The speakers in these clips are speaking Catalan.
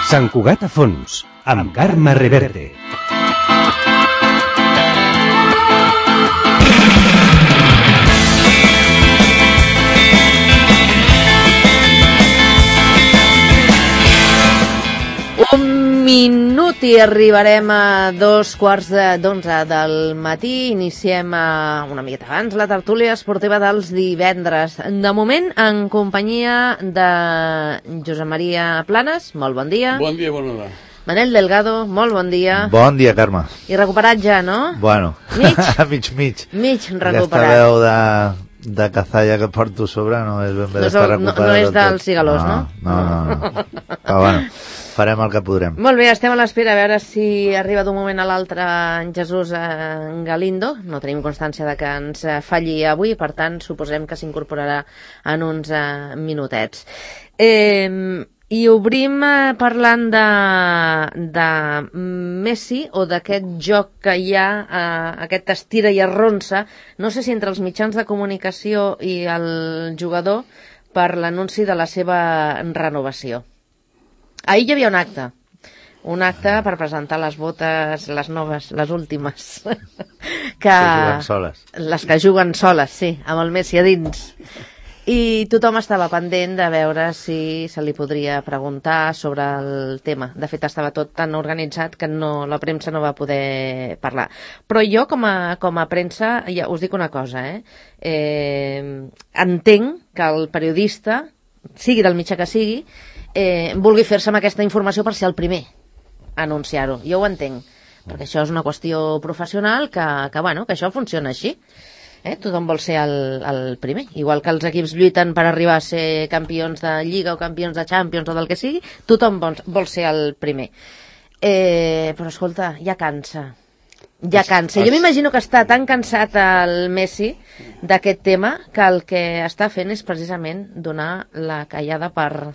Sant Cugat a fons, amb Carme Reverte. Un minut i arribarem a 2:15 del matí. Iniciem una miqueta abans la tertúlia esportiva dels divendres. De moment, en companyia de Josep Maria Planes. Molt bon dia. Bon dia, bona hora. Manel Delgado, molt bon dia. Bon dia, Carme. I recuperat ja, no? Bueno, mig. Mig recuperat. Aquesta veu de cazalla que porto sobre no és ben bé d'estar recuperat. No és dels cigalós, no? No. Però bueno, farem el que podrem. Molt bé, estem a l'espera a veure si arriba d'un moment a l'altre en Jesús Galindo. No tenim constància de que ens falli avui, per tant, suposem que s'incorporarà en uns minutets. I obrim parlant de Messi, o d'aquest joc que hi ha, aquest estira i arronsa, no sé si entre els mitjans de comunicació i el jugador, per l'anunci de la seva renovació. Ahir hi havia un acte per presentar les botes, les noves, les últimes, que juguen soles. Les que juguen soles, sí, amb el Messi a dins. I tothom estava pendent de veure si se li podria preguntar sobre el tema. De fet, estava tot tan organitzat que la premsa no va poder parlar. Però jo, com a premsa, ja us dic una cosa, entenc que el periodista, sigui del mitjà que sigui, vulgui fer-se amb aquesta informació per ser el primer a anunciar-ho. Jo ho entenc, perquè això és una qüestió professional que això funciona així. Tothom vol ser el primer. Igual que els equips lluiten per arribar a ser campions de Lliga o campions de Champions o del que sigui, tothom vol ser el primer. Però escolta, ja cansa. Jo m'imagino que està tan cansat el Messi d'aquest tema que el que està fent és precisament donar la callada per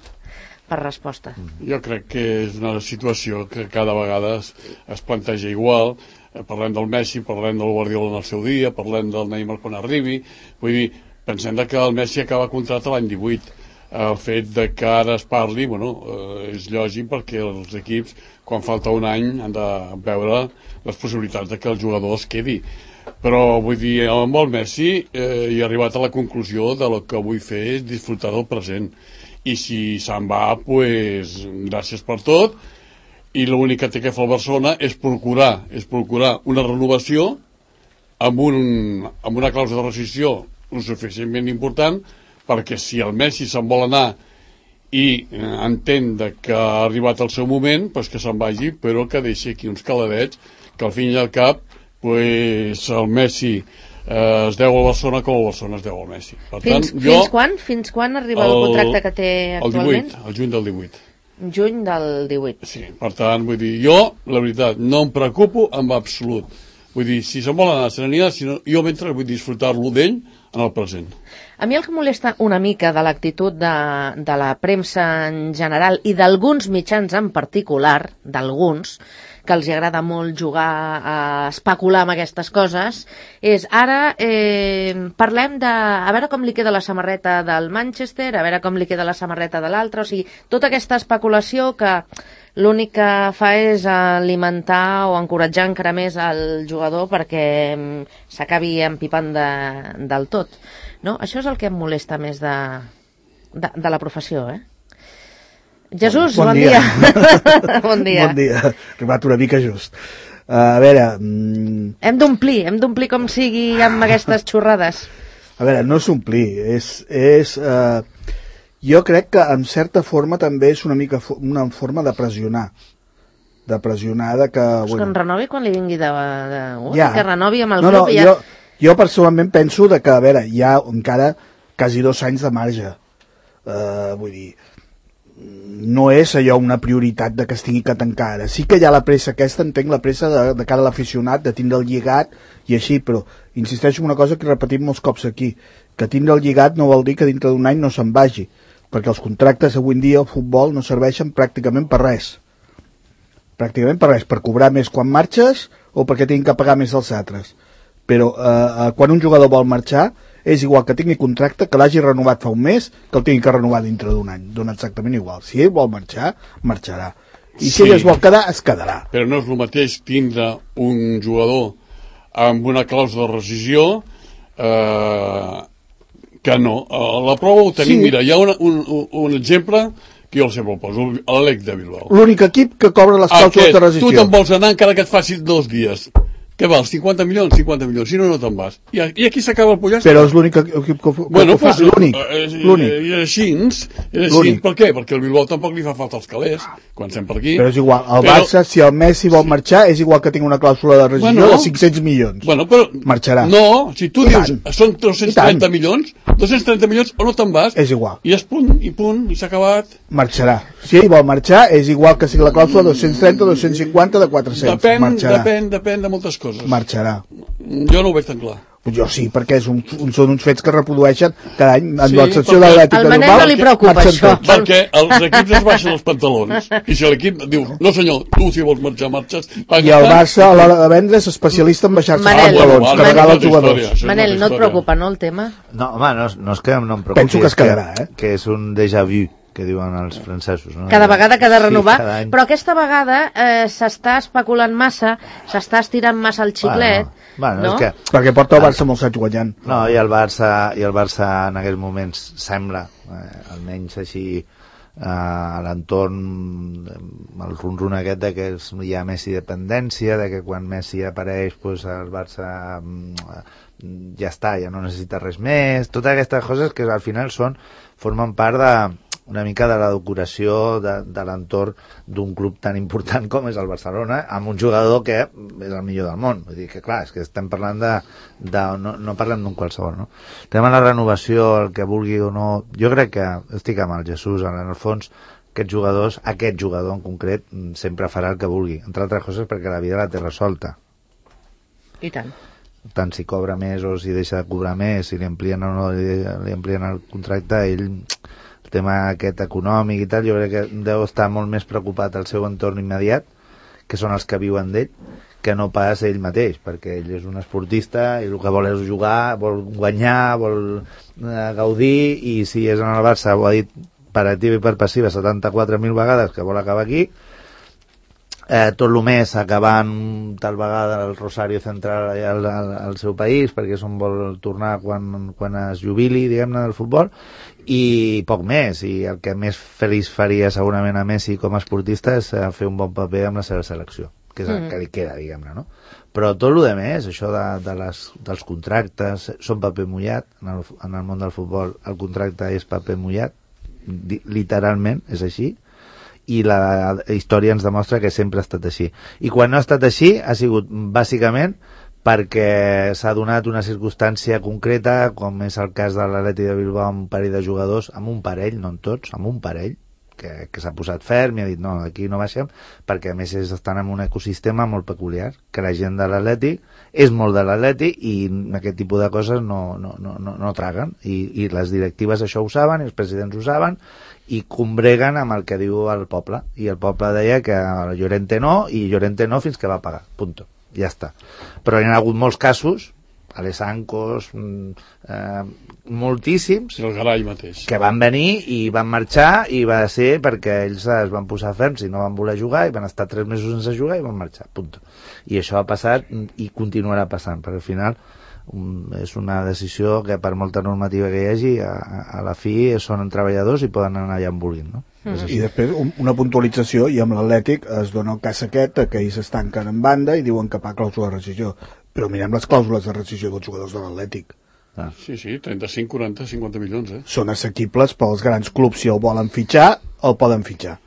resposta. Jo crec que és una situació que cada vegada es planteja igual. Parlem del Messi, parlem del Guardiola en el seu dia, parlem del Neymar quan arribi. Vull dir, pensem que el Messi acaba contracte l'any 18. El fet de que ara es parli, és lògic perquè els equips, quan falta un any, han de veure les possibilitats de que el jugador es quedi. Però, vull dir, amb el Messi he arribat a la conclusió de lo que vull fer és disfrutar del present. I si se'n va, doncs, gràcies per tot. I l'únic que té que fer el Barcelona és procurar una renovació amb una clàusula de rescissió suficientment important perquè si el Messi se'n vol anar i entén que ha arribat el seu moment, doncs que se'n vagi, però que deixi aquí uns caladets que al fin i al cap el Messi es deu al Barcelona com el Barcelona es deu al Messi. Per tant, Fins quan arriba el contracte que té actualment? El juny del 18. Juny del 18. Sí, per tant, vull dir, jo, la veritat, no em preocupo en absolut. Vull dir, si se'n vol anar, se n'anirà, jo mentre vull disfrutar-lo d'ell en el present. A mi el que molesta una mica de l'actitud de la premsa en general i d'alguns mitjans en particular, d'alguns, que els agrada molt jugar a especular amb aquestes coses, és ara parlem a veure com li queda la samarreta del Manchester, a veure com li queda la samarreta de l'altre, o sigui, tota aquesta especulació que l'únic que fa és alimentar o encoratjar encara més el jugador perquè s'acabi empipant del tot. No? Això és el que em molesta més de la professió, Jesús, bon dia. Bon dia. Bon dia. Arribat una mica just. A veure... Hem d'omplir com sigui amb aquestes xorrades. A veure, no és omplir, jo crec que en certa forma també és una forma de pressionar. De que... Que en renovi quan li vingui que renovi amb el club. Jo personalment penso que, a veure, hi ha encara quasi 2 anys de marge. Vull dir, no és allò una prioritat de que es tingui que tancar ara. Sí que hi ha la pressa aquesta, entenc la pressa de cara a l'aficionat, de tindre el lligat i així, però insisteixo en una cosa que repetim molts cops aquí, que tindre el lligat no vol dir que dintre d'un any no se'n vagi, perquè els contractes avui en dia al futbol no serveixen pràcticament per res, per cobrar més quan marxes o perquè tinguin que pagar més als altres. Però quan un jugador vol marxar és igual que tingui contracte, que l'hagi renovat fa un mes, que el tingui que renovar dintre d'un any, dona exactament igual. Si ell vol marxar, marxarà. I si ell es vol quedar, es quedarà. Però no és el mateix tindre un jugador amb una clàusula de rescisió que no. La prova ho tenim. Mira, hi ha un exemple que jo sempre el poso, l'Atlètic de Bilbao. L'únic equip que cobra les clàusules de rescisió. Tu te'n vols anar encara que et faci 2 dies. Què vals? 50 milions? 50 milions. Si no, no te'n vas. I aquí s'acaba el pollastre. Però és l'únic equip que fa. L'únic. I així. Per què? Perquè el Bilbao tampoc li fa falta els calés, quan estem per aquí. Però és igual. El Barça, si el Messi vol marxar, és igual que tingui una clàusula de rescisió de 500 milions. Però marxarà. No, si tu dius són 230 milions, 230 milions o no te'n vas. És igual. I és punt, i s'ha acabat. Marxarà. Si ell vol marxar, és igual que sigui la clàusula 230, 250, de 400. Depèn de moltes coses. Marxarà. Jo no ho veig tan clar. Jo sí, perquè són uns fets que reprodueixen cada any en l'excepció de l'Atlètic de Bilbao. Al Manel no li preocupa això. Perquè els equips es baixen els pantalons. I si l'equip diu, no senyor, tu si vols marxar, marxes. I el Barça a l'hora de vendre és especialista en baixar-se els pantalons, carregar els jugadors. Manel, no et preocupa, no, el tema? No, home, no és que no em preocupi. Penso que es quedarà, que és un déjà vu, que diuen els francesos, no? Cada vegada que ha de renovar, sí, però aquesta vegada s'està especulant massa, s'està estirant massa el xiclet, no? Perquè porta el Barça molts anys guanyant. No, i el Barça en aquests moments sembla, almenys així a l'entorn, el ronron aquest de que hi ha Messi dependència, de que quan Messi apareix pues, el Barça ja està, ja no necessita res més, totes aquestes coses que al final formen part una mica de la decoració de l'entorn d'un club tan important com és el Barcelona, amb un jugador que és el millor del món. Vull dir que clar, és que estem parlant no parlem d'un qualsevol, no? El tema de la renovació, el que vulgui o no, jo crec que estic amb el Jesús, en el fons aquest jugador en concret sempre farà el que vulgui, entre altres coses perquè la vida la té resolta. I tant. Tant si cobra més o si deixa de cobrar més, si li amplien o no li amplien el contracte, ell el tema aquest econòmic i tal, jo crec que deu estar molt més preocupat al seu entorn immediat, que són els que viuen d'ell, que no pas ell mateix, perquè ell és un esportista i el que vol és jugar, vol guanyar, vol gaudir, i si és en el Barça, ho ha dit per activa i per passiva 74.000 vegades que vol acabar aquí, tot el mes acabant tal vegada el Rosario Central al seu país, perquè és on vol tornar quan es jubili, diguem-ne, del futbol, i poc més, i el que més feliç faria segurament a Messi com a esportista és fer un bon paper amb la seva selecció, que és el que li queda, diguem-ne, no? Però tot el més, això dels contractes, són paper mullat, en el món del futbol el contracte és paper mullat, literalment, és així, i la història ens demostra que sempre ha estat així. I quan no ha estat així ha sigut bàsicament perquè s'ha donat una circumstància concreta, com és el cas de l'Atlètic de Bilbao amb un parell de jugadors, amb un parell, no en tots, amb un parell, que s'ha posat ferm i ha dit no, aquí no baixem, perquè a més estan en un ecosistema molt peculiar, que la gent de l'Atlètic és molt de l'Atlètic i aquest tipus de coses no traguen, i les directives això ho saben, i els presidents ho saben, i combreguen amb el que diu el poble, i el poble deia que Llorente no, i Llorente no fins que va pagar, punto, ja està. Però hi ha hagut molts casos, Alessancos, moltíssims, el Garay mateix, que van venir i van marxar, i va ser perquè ells es van posar ferms i no van voler jugar, i van estar 3 mesos sense jugar i van marxar, punto. I això ha passat i continuarà passant, perquè al final és una decisió que per molta normativa que hi hagi a la fi són treballadors i poden anar allà on vulguin, no? I després una puntualització, i amb l'Atlètic es dona el cas aquest que ells es tanquen en banda i diuen que paga clàusula de rescisió, però mirem les clàusules de rescisió dels jugadors de l'Atlètic. Sí, 35, 40, 50 milions, Són assequibles pels grans clubs, si el volen fitxar el poden fitxar.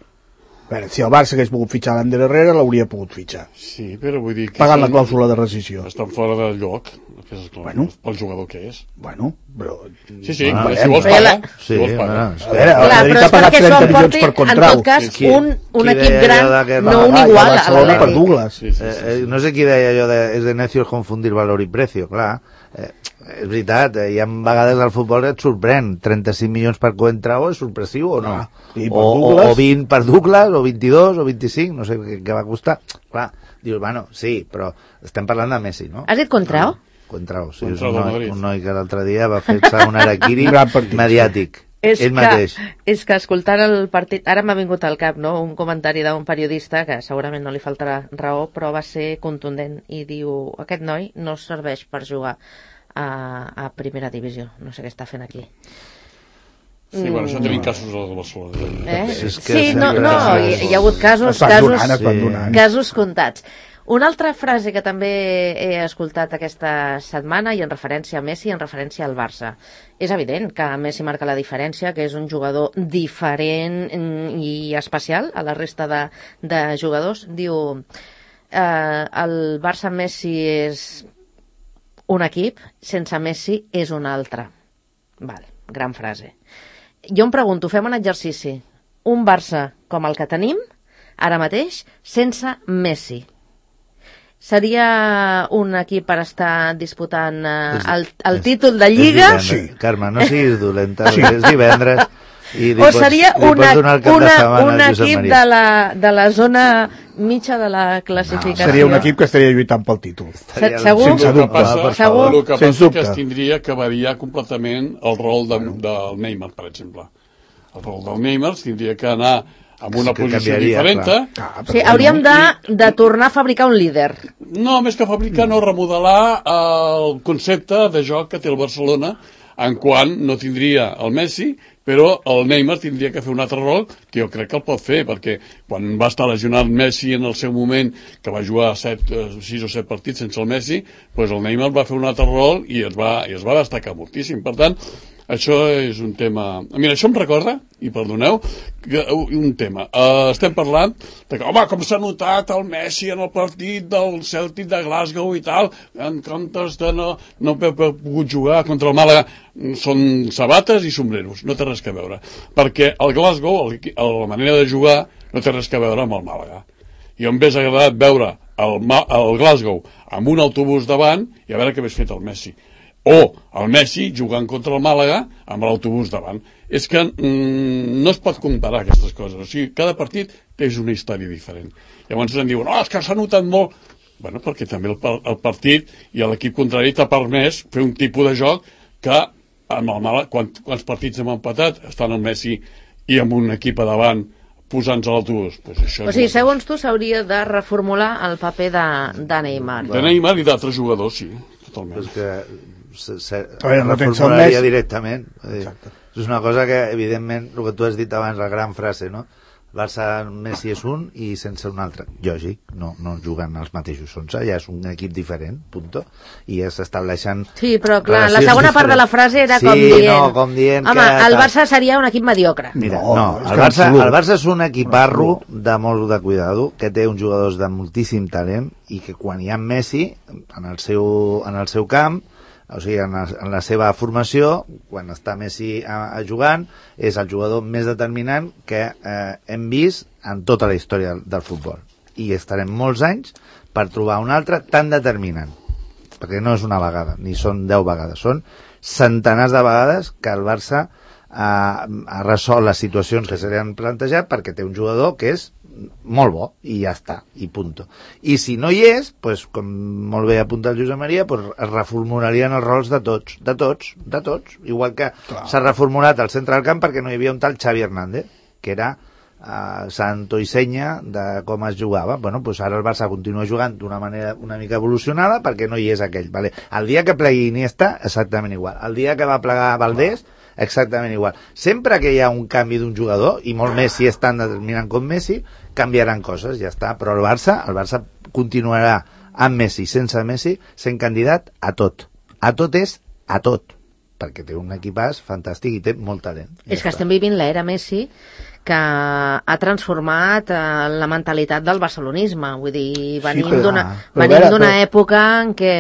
A veure, si el Barça hagués pogut fitxar l'any Herrera l'hauria pogut fitxar. Sí, però vull dir que pagant la clàusula de rescisió. Estan fora del lloc, pel jugador que és. Bueno, però... Sí, si vols pagar, si vols pagar. A veure, el Madrid ha pagat 30 milions per Contrau. En tot cas, un equip gran, no un igual a l'Atlètic. No sé qui deia allò de és de necios confundir valor i precio, clar. És veritat, hi ha vegades al futbol et sorprèn 35 milions per Contrau, és sorpressiu o no? O 20 per Douglas, o 22 o 25, no sé què va costar. Clar, dius, bueno, sí, però estem parlant de Messi, no? Has dit Contrau? Contrau, sí, és un noi que l'altre dia va fer-se un harakiri mediàtic. ell mateix. És que escoltant el partit, ara m'ha vingut al cap, no?, un comentari d'un periodista que segurament no li faltarà raó, però va ser contundent i diu, aquest noi no serveix per jugar a primera divisió, no sé què està fent aquí. Sí, bueno, això tenim casos al Barcelona. Sí, no, hi ha hagut casos comptats. Una altra frase que també he escoltat aquesta setmana, i en referència a Messi, en referència al Barça. És evident que Messi marca la diferència, que és un jugador diferent i especial a la resta de jugadors. Diu, el Barça-Messi és un equip, sense Messi és un altre. Val, gran frase. Jo em pregunto, fem un exercici. Un Barça com el que tenim, ara mateix, sense Messi. Seria un equip per estar disputant el títol de Lliga? Sí. Carme, no siguis dolenta, és divendres. O seria un equip de la zona mitja de la classificació? Seria un equip que estaria lluitant pel títol. Segur? El que passa és que es tindria que variar completament el rol del Neymar, per exemple. El rol del Neymar tindria que anar amb una posició diferent. Sí, hauríem de tornar a fabricar un líder. No, més que fabricar, no, remodelar el concepte de joc que té el Barcelona, en quant no tindria el Messi, però el Neymar tindria que fer un altre rol, que jo crec que el pot fer, perquè quan va estar lesionat Messi en el seu moment, que va jugar 6 o 7 partits sense el Messi, doncs el Neymar va fer un altre rol i es va destacar moltíssim. Per tant, això és un tema... Mira, això em recorda, i perdoneu, un tema. Estem parlant de que, home, com s'ha notat el Messi en el partit del Celtic de Glasgow i tal, en comptes de no haver pogut jugar contra el Màlaga, són sabates i sombreros, no té res a veure. Perquè el Glasgow, la manera de jugar, no té res a veure amb el Màlaga. I em hauria agradat veure el Glasgow amb un autobús davant i a veure què hagués fet el Messi. O el Messi jugant contra el Màlaga amb l'autobús davant. És que no es pot comparar aquestes coses. O sigui, cada partit és una història diferent. Llavors ens diuen, és que s'ha notat molt. Bueno, perquè també el partit i l'equip contrari t'ha permès fer un tipus de joc que amb el Màlaga, quants partits hem empatat, estan el Messi i amb un equip a davant posant-se a l'autobús. O sigui, segons tu, s'hauria de reformular el paper de Neymar. De Neymar i d'altres jugadors, sí, totalment. És que reformularia directament. És una cosa que, evidentment, el que tu has dit abans, la gran frase, no? Barça, Messi és un i sense un altre. Lògic, no juguen els mateixos 11, ja és un equip diferent, punto. I ja s'estableixen... Sí, però clar, la segona part de la frase era com dient... Home, el Barça seria un equip mediocre. Mira, el Barça és un equiparro de molt de cuidado, que té uns jugadors de moltíssim talent i que quan hi ha Messi en el seu camp, o sigui, en la seva formació, quan està Messi jugant, és el jugador més determinant que hem vist en tota la història del futbol. I estarem molts anys per trobar un altre tan determinant. Perquè no és una vegada, ni són 10 vegades, són centenars de vegades que el Barça ha resolt les situacions que se li han plantejat perquè té un jugador que és molt bo, i ja està, i punto. I si no hi és, pues, com molt bé apunta el Josep Maria, pues, es reformularien els rols de tots, igual que s'ha reformulat el centre del camp perquè no hi havia un tal Xavi Hernández, que era santo i senya de com es jugava. Bueno, pues ara el Barça continua jugant d'una manera una mica evolucionada perquè no hi és aquell, vale? El dia que plegui Iniesta, exactament igual. El dia que va plegar Valdés, exactament igual. Sempre que hi ha un canvi d'un jugador, i molt més si és tan determinant com Messi, canviaran coses, ja està. Però el Barça continuarà amb Messi, sense Messi, sent candidat a tot. A tot és a tot, perquè té un equipàs fantàstic i té molt talent. És que estem vivint l'era Messi, que ha transformat la mentalitat del barcelonisme. Vull dir, venim d'una època en què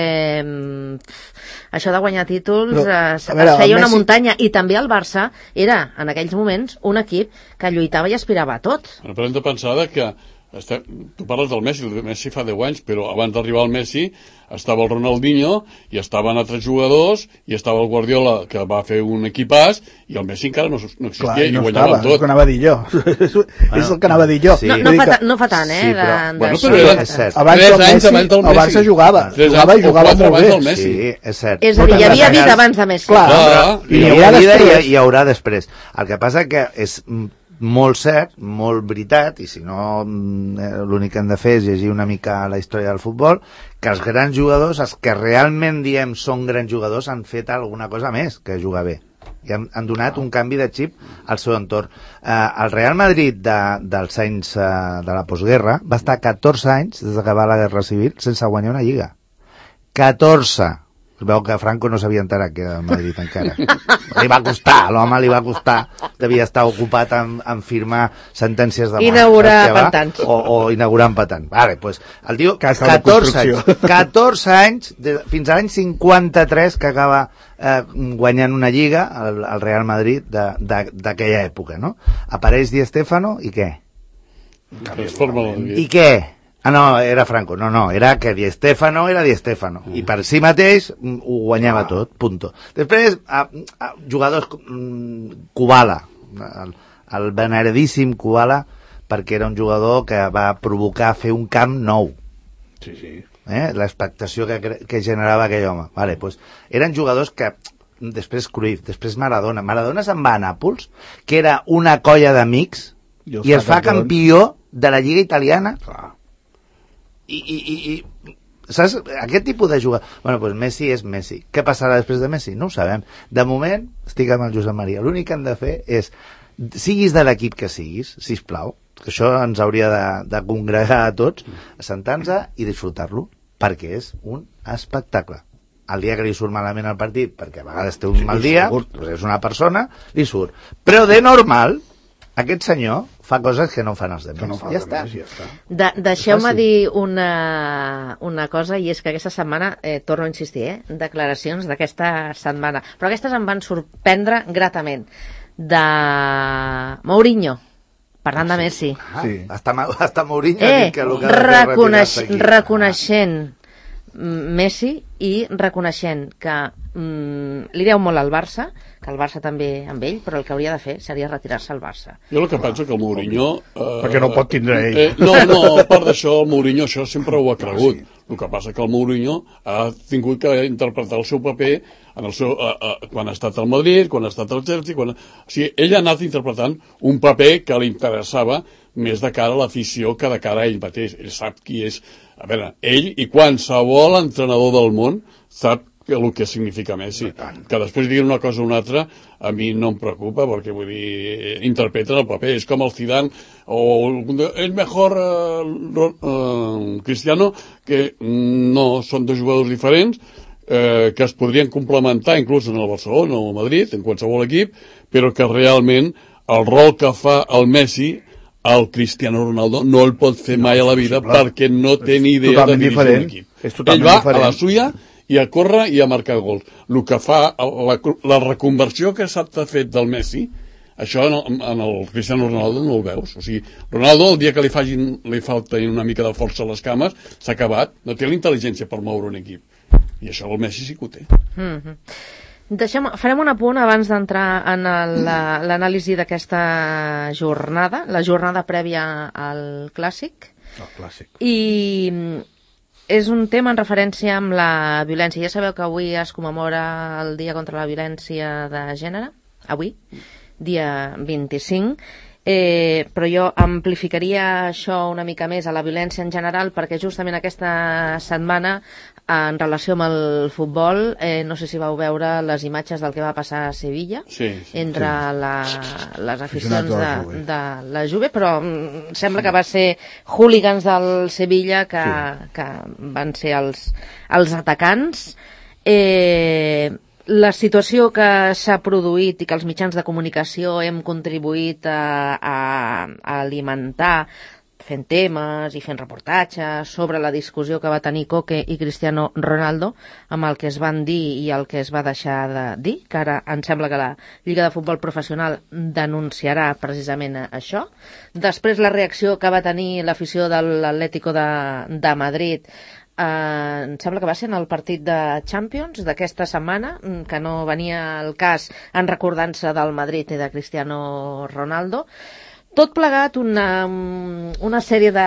això de guanyar títols es feia una muntanya, i també el Barça era, en aquells moments, un equip que lluitava i aspirava a tot. Però hem de pensar que Tu parles del Messi fa 10 anys, però abans d'arribar al Messi estava el Ronaldinho i estaven altres jugadors i estava el Guardiola, que va fer un equipàs, i el Messi encara no existia. Clar, i no guanyava estava, tot. és el que anava a dir jo. És el que anava a dir jo. Sí. No fa tant, Sí, però- Bueno, d'això. però era- és cert. Abans Tres del anys Messi, abans del el Barça Messi. jugava. 3 Jugava i anys o jugava 4 molt abans bé. del Messi. Sí, és cert. És a dir, hi havia vida abans de Messi. Clar, Clar, i Hi n'hi haurà haurà vida després. i hi haurà després. El que passa que és molt cert, molt veritat, i si no l'únic que hem de fer és llegir una mica la història del futbol, que els grans jugadors, els que realment diem són grans jugadors, han fet alguna cosa més que jugar bé. I han donat un canvi de xip al seu entorn. El Real Madrid dels anys de la postguerra va estar 14 anys, des d'acabar la Guerra Civil, sense guanyar una lliga. 14! Es veu que Franco no s'havia enterat que era el Madrid encara. Li va costar, l'home li va costar. Devia estar ocupat en firmar sentències de mort. Inaugurar pantans. O inaugurant pantans. Vale, pues, el tio, Casa de 14 anys, construcció. 14 anys, fins a l'any 53, que acaba guanyant una lliga, el Real Madrid d'aquella època, no? Apareix Di Stéfano, i què? Transforma la vida. I què? Ah, no, era Franco. No, era que Di Stéfano era Di Stéfano. I per si mateix ho guanyava tot, punto. Després, jugadors Kubala, el veneradíssim Kubala, perquè era un jugador que va provocar fer un camp nou. Sí. L'expectació que generava aquell home. Vale, pues, eren jugadors que després Cruyff, després Maradona. Maradona se'n va a Nàpols, que era una colla d'amics, i es fa campió de la Lliga Italiana. Clar. I saps? Aquest tipus de jugador... Bueno, doncs Messi és Messi. Què passarà després de Messi? No ho sabem. De moment, estic amb el Josep Maria. L'únic que han de fer és, siguis de l'equip que siguis, sisplau, que això ens hauria de congregar a tots, assentar-nos i disfrutar-lo, perquè és un espectacle. El dia que li surt malament el partit, perquè a vegades té un mal dia, doncs és una persona, li surt. Però de normal, aquest senyor fa coses que no fan els demés. Ja està. Deixeu-me dir una cosa, i és que aquesta setmana, torno a insistir, declaracions d'aquesta setmana, però aquestes em van sorprendre gratament, de Mourinho, parlant de Messi. Sí. Hasta Mourinho ha dit que el que ha de fer és retirar-se aquí. Reconeixent Messi i reconeixent que li deu molt al Barça, que el Barça també amb ell, però el que hauria de fer seria retirar-se al Barça. Jo el que penso que el Mourinho... Perquè no pot tindre ell. No, a part d'això, el Mourinho això sempre ho ha cregut. El que passa que el Mourinho ha tingut que interpretar el seu paper en el seu, quan ha estat al Madrid, quan ha estat al Chelsea... O sigui, ell ha anat interpretant un paper que li interessava més de cara a l'afició que de cara a ell mateix. Ell sap qui és... A veure, ell i qualsevol entrenador del món sap el que significa Messi. Que després diguin una cosa o una altra, a mi no em preocupa, perquè vull dir, interpreten el paper. És com el Zidane, o és mejor Cristiano, que no, són dos jugadors diferents, que es podrien complementar inclús en el Barcelona o el Madrid, en qualsevol equip, però que realment el rol que fa el Messi, el Cristiano Ronaldo no el pot fer mai a la vida perquè no té ni idea de dirigir un equip. Ell va a la suya i a córrer i a marcar gols. El que fa, la reconversió que s'ha fet del Messi, això en el Cristiano Ronaldo no el veus. O sigui, Ronaldo, el dia que li falta una mica de força a les cames, s'ha acabat. No té la intel·ligència per moure un equip. I això el Messi sí que ho té. Farem un apunt abans d'entrar en l'anàlisi d'aquesta jornada, la jornada prèvia al Clàssic. El Clàssic. I és un tema en referència amb la violència. Ja sabeu que avui es commemora el Dia contra la Violència de Gènere, avui, dia 25, però jo amplificaria això una mica més a la violència en general, perquè justament aquesta setmana, en relació amb el futbol, no sé si vau veure les imatges del que va passar a Sevilla, entre les aficions de la Juve, però sembla que va ser hooligans del Sevilla que van ser els atacants. La situació que s'ha produït i que els mitjans de comunicació hem contribuït a alimentar fent temes i fent reportatges sobre la discussió que va tenir Coque i Cristiano Ronaldo amb el que es van dir i el que es va deixar de dir, que ara em sembla que la Lliga de Futbol Professional denunciarà precisament això. Després la reacció que va tenir l'afició de l'Atlético de Madrid, em sembla que va ser en el partit de Champions d'aquesta setmana, que no venia al cas en recordança del Madrid i de Cristiano Ronaldo. Tot plegat una sèrie de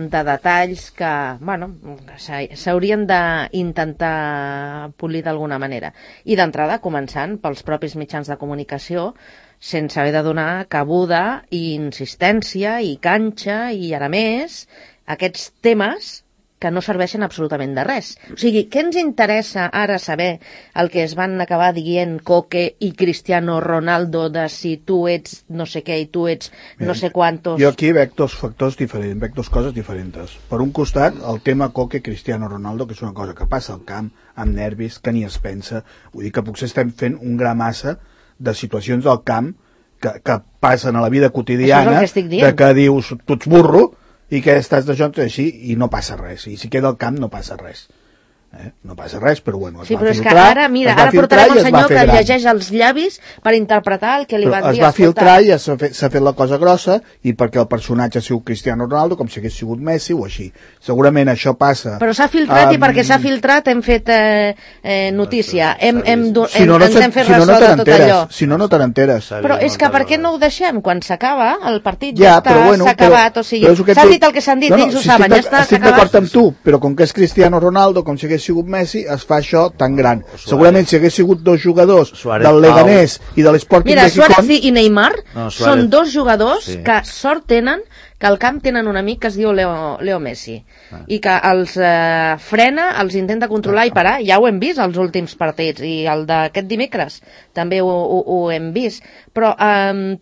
detalls que, bueno, s'haurien d'intentar polir d'alguna manera. I d'entrada, començant pels propis mitjans de comunicació, sense haver de donar cabuda i insistència i canxa i, a més, aquests temes que no serveixen absolutament de res. O sigui, què ens interessa ara saber el que es van acabar dient Coque i Cristiano Ronaldo de si tu ets no sé què i tu ets no sé quantos... Jo aquí veig dos factors diferents, veig dos coses diferents. Per un costat, el tema Coque-Cristiano Ronaldo, que és una cosa que passa al camp, amb nervis, que ni es pensa. Vull dir que potser estem fent un gra massa de situacions del camp que passen a la vida quotidiana, de que dius, tu ets burro, i que estàs de jocs així i no passa res, i si queda al camp no passa res, no passa res, però bueno, es va filtrar. Sí, però és que ara, mira, ara portarem un senyor que llegeix els llavis per interpretar el que li van dir. Es va filtrar i s'ha fet la cosa grossa, i perquè el personatge ha sigut Cristiano Ronaldo, com si hagués sigut Messi o així. Segurament això passa... Però s'ha filtrat i perquè s'ha filtrat hem fet notícia, ens hem fet ressò de tot allò. Si no, no te n'enteres. Però és que per què no ho deixem? Quan s'acaba, el partit ja s'ha acabat, o sigui, s'han dit el que s'han dit, ells ho saben, ja està, estic d'acord amb tu, però com que és Cristiano Ronaldo, com si hagués sigut Messi, es fa això tan gran. Segurament si hagués sigut dos jugadors del Leganés i de l'Sporting de Gijón... Mira, Suárez i Neymar són dos jugadors que sort tenen que al camp tenen un amic que es diu Leo Messi i que els frena, els intenta controlar i parar. Ja ho hem vist als últims partits i el d'aquest dimecres també ho hem vist, però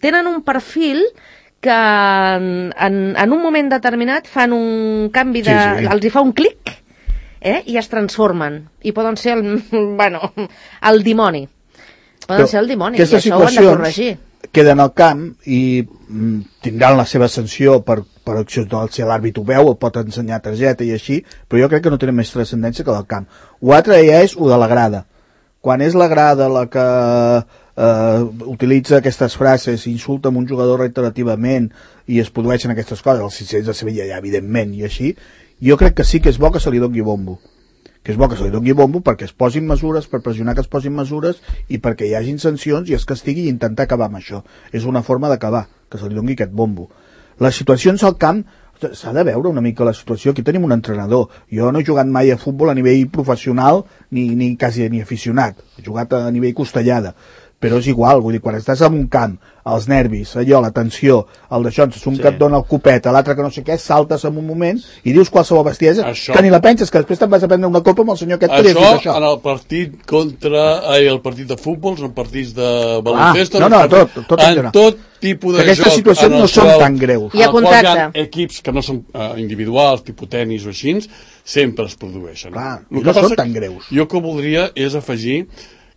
tenen un perfil que en un moment determinat fan un canvi els hi fa un clic i es transformen i poden ser el dimoni. Poden ser el dimoni, i això ho han de corregir. Queden al camp i tindran la seva sanció per acció, si l'àrbit ho veu, pot ensenyar targeta i així, però jo crec que no tenen més transcendència que del camp. Ho altre ja és ho de la grada. Quan és la grada la que utilitza aquestes frases, insulta amb un jugador reiterativament i es produeixen aquestes coses, els 600 de Sevilla ja evidentment i així, jo crec que sí que és bo que se li doni bombo. Que és bo que se li doni bombo perquè es posin mesures, per pressionar que es posin mesures i perquè hi hagin sancions i es castigui i intentar acabar amb això. És una forma d'acabar, que se li doni aquest bombo. Les situacions al camp, s'ha de veure una mica la situació. Aquí tenim un entrenador. Jo no he jugat mai a futbol a nivell professional ni quasi ni aficionat. He jugat a nivell costellada. Però és igual, vull dir, quan estàs en un camp, els nervis, allò, la tensió, el d'això, un que et dona el copet, l'altre que no sé què, saltes en un moment i dius qualsevol bestiesa, que ni la penses, que després te'n vas a prendre una copa amb el senyor aquest que li has dit això. En el partit el partit de futbol, en partits de baloncesto, en tot tipus de joc. Aquestes situacions no són tan greus. Hi ha contracte. Hi ha equips que no són individuals, tipus tenis o així, sempre es produeixen. Clar, no són tan greus. Jo que voldria és afegir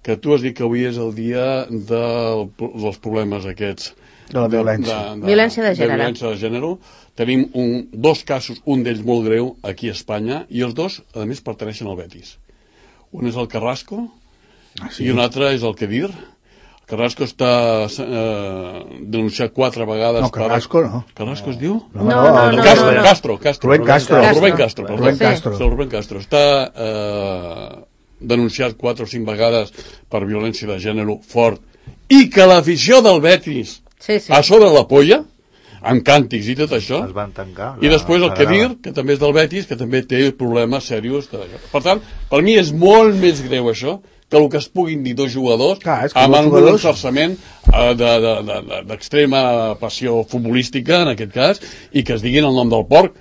que tu has dit que avui és el dia dels problemes aquests de la violència. Violència de gènere. Violència de gènere. Tenim dos casos, un d'ells molt greu aquí a Espanya, i els dos, a més, pertaneixen al Betis. Un és el Carrasco i un altre és el Kedir. El Carrasco està denunciat 4 vegades. No, Carrasco no. Carrasco es diu? No. Castro. Rubén Castro. Està denunciat 4 o 5 vegades per violència de gènere fort, i que l'afició del Betis a sobre la polla, amb càntics i tot això, es van tancar, i després el Kedir, que també és del Betis, que també té problemes serios. Per tant, per mi és molt més greu això que el que es puguin dir dos jugadors amb un enforçament d'extrema passió futbolística, en aquest cas, i que es diguin el nom del porc.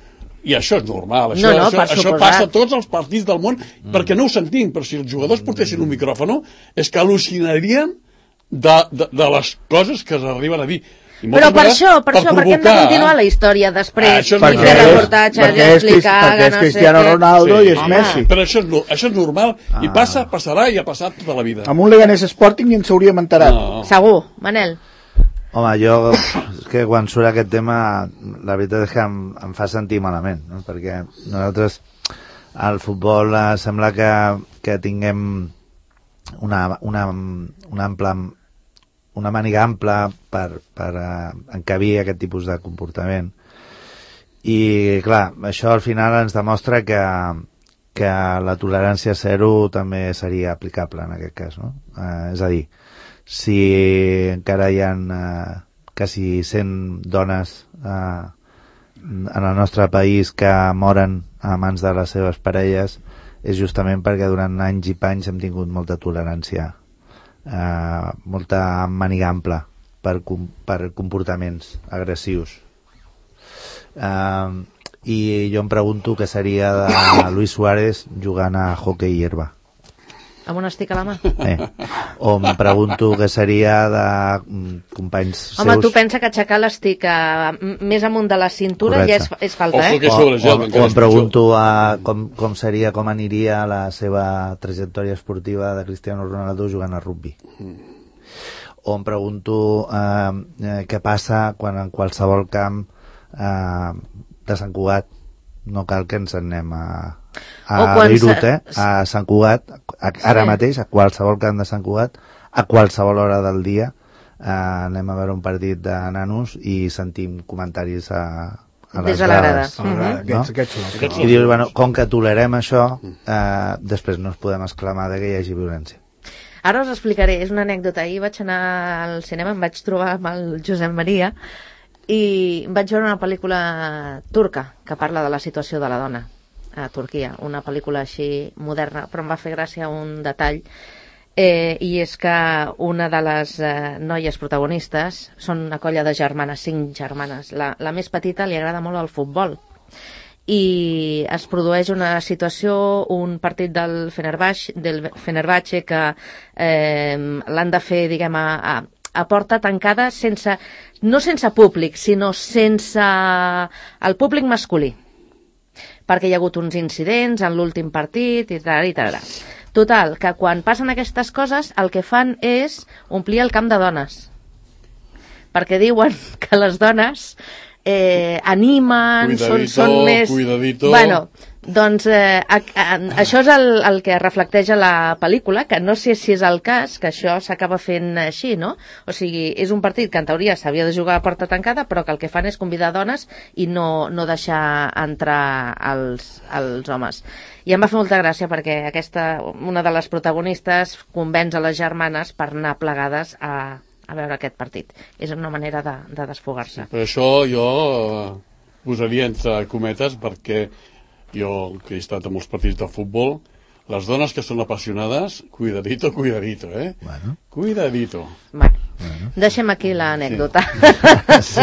I això és normal, això passa a tots els partits del món, perquè no ho sentim, però si els jugadors portessin un micròfon és que al·lucinarien de les coses que s'arriben a dir. Però per això, perquè hem de continuar la història després, i fer reportatges i explicar... Perquè és Cristiano Ronaldo i és Messi. Però això és normal, i passarà i ha passat tota la vida. Amb un Leganés Sporting ni ens hauríem enterat. Segur, Manel. Home, jo és que quan surt aquest tema, la veritat és que em fa sentir malament, no? Perquè nosaltres, al futbol, sembla que tinguem una màniga ampla per encabir aquest tipus de comportament. I, clar, això al final ens demostra que la tolerància zero també seria aplicable en aquest cas, no? És a dir, si encara hi ha quasi 100 dones en el nostre país que moren a mans de les seves parelles, és justament perquè durant anys i panys hem tingut molta tolerància, molta màniga ampla per comportaments agressius. I jo em pregunto què seria de Luis Suárez jugant a hoquei i herba. Amb un estic a la mà? O em pregunto què seria de companys seus... Home, tu pensa que aixecar l'estic més amunt de la cintura ja és falta, O em pregunto com seria, com aniria la seva trajectòria esportiva de Cristiano Ronaldo jugant a rugby. O em pregunto què passa quan en qualsevol camp de Sant Cugat, no cal que ens anem a Beirut, a Sant Cugat, ara mateix, a qualsevol camp de Sant Cugat, a qualsevol hora del dia, anem a veure un partit de nanos i sentim comentaris a les grades. I dius, bueno, com que tolerem això, després no ens podem exclamar que hi hagi violència. Ara us explicaré, és una anècdota. Ahir vaig anar al cinema, em vaig trobar amb el Josep Maria i vaig veure una pel·lícula turca que parla de la situació de la dona a Turquia, una pel·lícula així moderna, però em va fer gràcia un detall, i és que una de les noies protagonistes són una colla de germanes, 5 germanes. La més petita li agrada molt el futbol i es produeix una situació, un partit del Fenerbahçe que l'han de fer, diguem, a porta tancada, no sense públic, sinó sense el públic masculí, perquè hi ha hagut uns incidents en l'últim partit i tal. Total, que quan passen aquestes coses el que fan és omplir el camp de dones, perquè diuen que les dones animen, són més... Cuidadito. Bueno, doncs això és el que reflecteix a la pel·lícula, que no sé si és el cas, que això s'acaba fent així, no? O sigui, és un partit que en teoria s'havia de jugar a porta tancada, però que el que fan és convidar dones i no deixar entrar els homes. I em va fer molta gràcia perquè una de les protagonistes convenç a les germanes per anar plegades a veure aquest partit. És una manera de desfogar-se. Per això jo posaria entre cometes, perquè jo, que he estat a molts partits de futbol, les dones que són apassionades, cuidadito, Bueno. Cuidadito. Bueno, deixem aquí l'anècdota. Sí.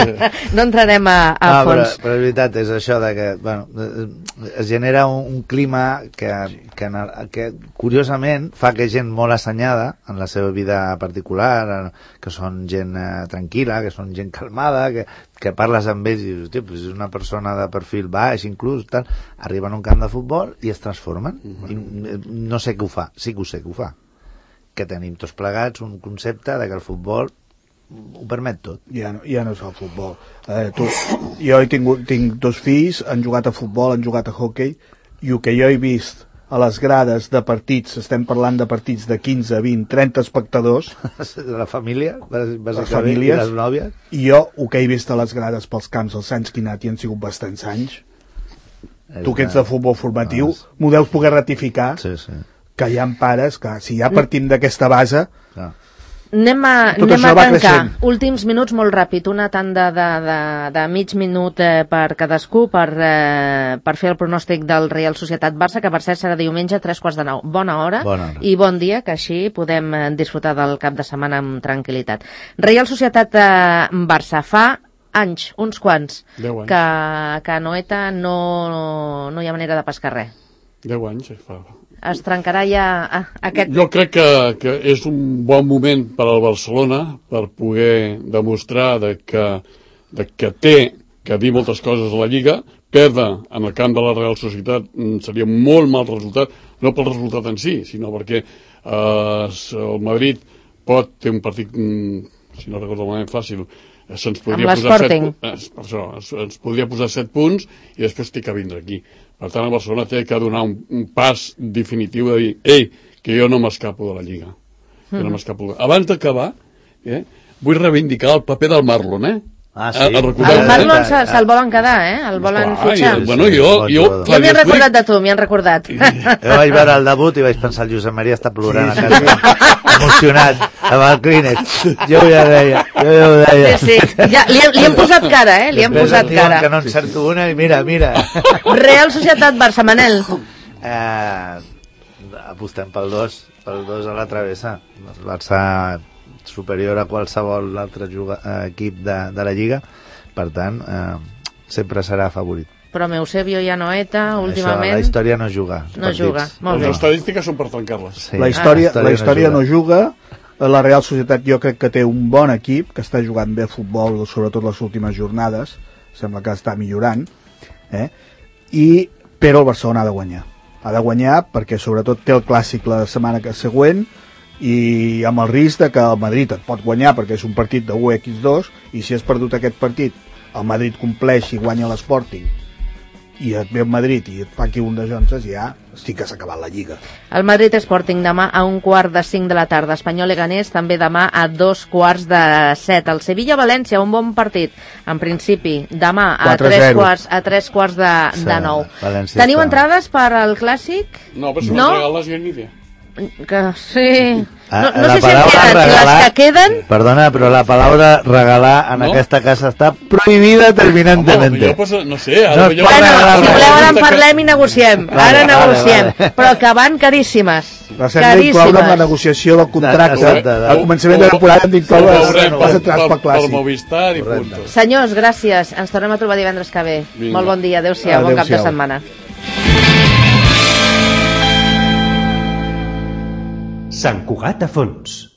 No entrarem a fons. Però és veritat, és això de que, bueno, es genera un clima que curiosament fa que gent molt assenyada en la seva vida particular, que són gent tranquil·la, que són gent calmada, que parles amb ells i dius, hòstia, pues és una persona de perfil baix, inclús, tal, arriben a un camp de futbol i es transformen. I no sé què ho fa, sí que ho sé que ho fa. Que tenim tots plegats un concepte de que el futbol ho permet tot. Ja no és el futbol. Jo tinc 2 fills, han jugat a futbol, han jugat a hoquei, i el que jo he vist a les grades de partits, estem parlant de partits de 15, 20, 30 espectadors... La família, les famílies, i les nòvies. I jo, el que he vist a les grades pels camps els anys que he anat, i han sigut bastants anys, tu que ets de futbol formatiu, m'ho deus poder ratificar, que hi ha pares que, si ja partim d'aquesta base... Anem a tancar. Últims minuts molt ràpid, una tanda de mig minut per cadascú per fer el pronòstic del Reial Societat Barça, que per cert serà diumenge 8:45. Bona hora i bon dia, que així podem disfrutar del cap de setmana amb tranquil·litat. Reial Societat Barça, fa anys, uns quants, que a Noeta no hi ha manera de pescar res. 10 anys fa. Es trencarà ja aquest... Jo crec que és un bon moment per al Barcelona per poder demostrar que té que dir moltes coses a la Lliga. Perdre en el camp de la Real Societat seria un molt mal resultat, no pel resultat en si, sinó perquè el Madrid pot ter un partit, si no recordo malament, fàcil se'ns Amb podria l'Sporting. per això, ens podria posar 7 punts i després té que vindre aquí. Per tant, el Barcelona té que donar un pas definitiu de dir, ei, que jo no m'escapo de la Lliga. Jo no m'escapo. Abans d'acabar, vull reivindicar el paper del Marlon, Ah, sí. El Marlon se'l volen quedar, el volen fitxar. Bueno, jo m'hi han recordat de tu, m'hi han recordat. Jo vaig veure el debut i vaig pensar, el Josep Maria està plorant a casa, emocionat, amb el Kleenex. Jo ja ho deia. Sí. Ja, li hem posat cara, li hem posat cara. Que no encerto una i mira. Real Societat Barça, Manel. Apostem pel 2 a la travessa. El Barça superior a qualsevol altre equip de la Lliga, per tant sempre serà favorit. Però Eusebio i Anoeta últimament... Això, la història no juga. No juga, molt bé. Les estadístiques són per trencar-les. Sí. La història no juga. La Real Societat jo crec que té un bon equip, que està jugant bé a futbol, sobretot les últimes jornades, sembla que està millorant, però el Barcelona ha de guanyar. Ha de guanyar perquè sobretot té el clàssic la setmana següent, i amb el risc de que el Madrid et pot guanyar perquè és un partit de 1x2 i si has perdut aquest partit el Madrid compleix i guanya l'Sporting i et ve el Madrid i et fa aquí un de Jonses, ja estic que s'ha acabat la Lliga. El Madrid Sporting demà a 1:45 de la tarda, Espanyol Leganés també demà a 2:15. El Sevilla València, un bon partit en principi, demà a 3:15 de 9. Teniu entrades per al Clàssic? No, però si no regales jo ni idea. Que sí. No sé si regalar, les que queden. Perdona, però la paraula regalar en aquesta casa està prohibida terminantemente. No sé, bueno, si voleu ara en parlem i negociem. Ara negociem. Però que van caríssimes. Les hem d'incloure en la negociació del contracte. Al començament de la temporada hem d'incloure les entrades pel Clàssic. Movistar i punt. Senyors, gràcies. Ens tornem a trobar divendres que ve. Molt bon dia. Adéu-siau. Bon cap de setmana. Sant Cugat a fons.